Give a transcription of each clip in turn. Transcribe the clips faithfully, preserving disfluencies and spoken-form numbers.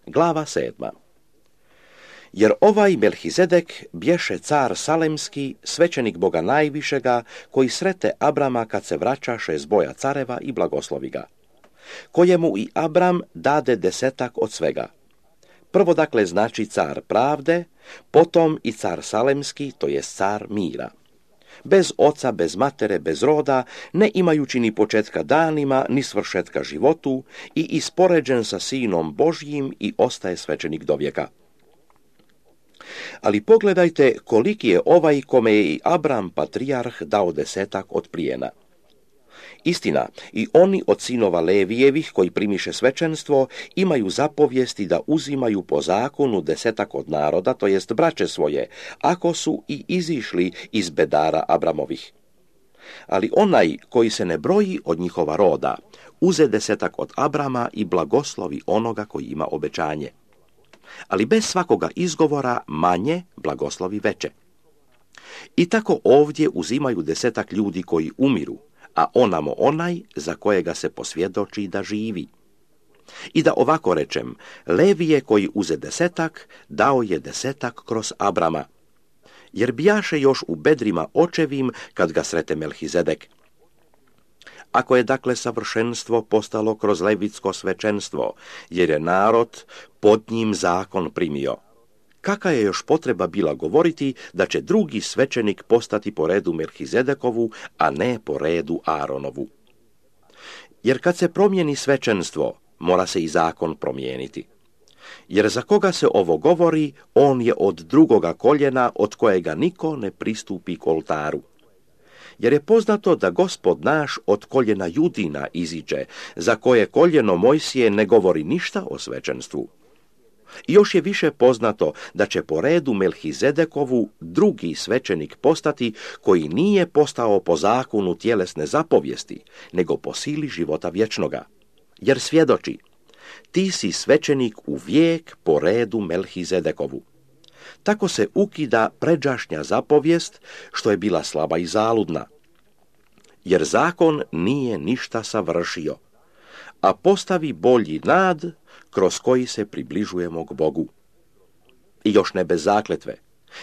Glava sedma. Jer ovaj Melhizedek bješe car salemski, svećenik Boga najvišega, koji srete Abrama kad se vraćaše s boja careva i blagoslovi ga, kojemu i Abram dade desetak od svega. Prvo dakle znači car pravde, potom i car salemski, to je car mira. Bez oca, bez matere, bez roda, ne imajući ni početka danima, ni svršetka životu, i ispoređen sa sinom Božjim i ostaje svećenik do vijeka. Ali pogledajte koliki je ovaj kome je i Abram patrijarh dao desetak od plijena. Istina, i oni od sinova Levijevih koji primiše svećenstvo imaju zapovijesti da uzimaju po zakonu desetak od naroda, to jest braće svoje, ako su i izišli iz bedara Abramovih. Ali onaj koji se ne broji od njihova roda, uze desetak od Abrama i blagoslovi onoga koji ima obećanje. Ali bez svakoga izgovora manje blagoslovi veće. I tako ovdje uzimaju desetak ljudi koji umiru, a onamo onaj za kojega se posvjedoči da živi. I da ovako rečem, Levije koji uze desetak, dao je desetak kroz Abrama, jer bijaše još u bedrima očevim kad ga srete Melhizedek. Ako je dakle savršenstvo postalo kroz levitsko svećenstvo, jer je narod pod njim zakon primio, kakva je još potreba bila govoriti da će drugi svećenik postati po redu Melhizedekovu, a ne po redu Aaronovu? Jer kad se promijeni svećenstvo, mora se i zakon promijeniti. Jer za koga se ovo govori, on je od drugoga koljena od kojega niko ne pristupi k oltaru. Jer je poznato da Gospod naš od koljena Judina iziđe, za koje koljeno Mojsije ne govori ništa o svećenstvu. I još je više poznato da će po redu Melhizedekovu drugi svećenik postati koji nije postao po zakonu tjelesne zapovijesti, nego po sili života vječnoga. Jer svjedoči, ti si svećenik u vijek po redu Melhizedekovu. Tako se ukida pređašnja zapovijest, što je bila slaba i zaludna. Jer zakon nije ništa savršio, a postavi bolji nad kroz koji se približujemo k Bogu. I još ne bez zakletve,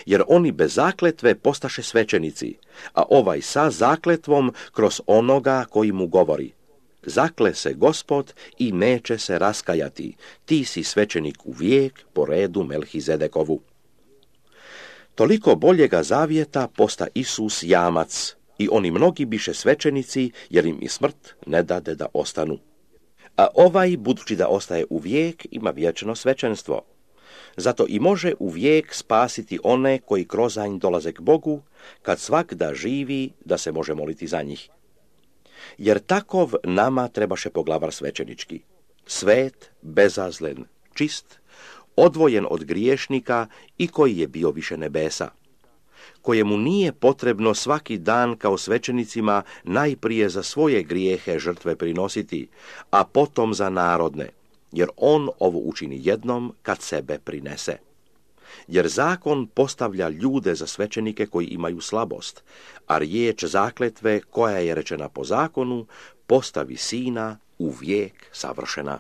jer oni bez zakletve postaše svećenici, a ovaj sa zakletvom kroz onoga koji mu govori: zakle se Gospod i neće se raskajati, ti si svećenik u vijek po redu Melhizedekovu. Toliko boljega zavjeta posta Isus jamac, i oni mnogi biše svećenici, jer im i smrt ne dade da ostanu. A ovaj, budući da ostaje u vijek, ima vječno svećenstvo. Zato i može u vijek spasiti one koji kroz nj dolaze k Bogu, kad svak da živi, da se može moliti za njih. Jer takov nama trebaše poglavar svećenički, svet, bezazlen, čist, odvojen od griješnika i koji je bio više nebesa, kojemu nije potrebno svaki dan kao svećenicima najprije za svoje grijehe žrtve prinositi, a potom za narodne, jer on ovo učini jednom kad sebe prinese. Jer zakon postavlja ljude za svećenike koji imaju slabost, a riječ zakletve koja je rečena po zakonu postavi sina u vijek savršena.